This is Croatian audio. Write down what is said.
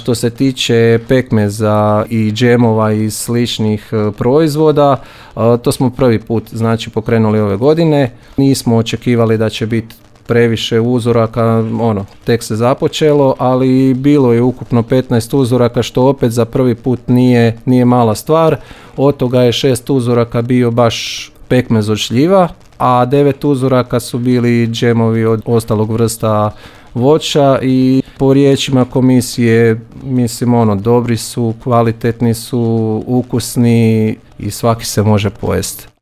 što se tiče pekmeza i džemova i sličnih proizvoda, to smo prvi put znači pokrenuli ove godine. Nismo očekivali da će biti previše uzoraka, tek se započelo, ali bilo je ukupno 15 uzoraka, što opet za prvi put nije mala stvar. Od toga je 6 uzoraka bio baš pekmez od šljiva, a 9 uzoraka su bili džemovi od ostalog vrsta voća i po riječima komisije, mislim, dobri su, kvalitetni su, ukusni i svaki se može pojesti.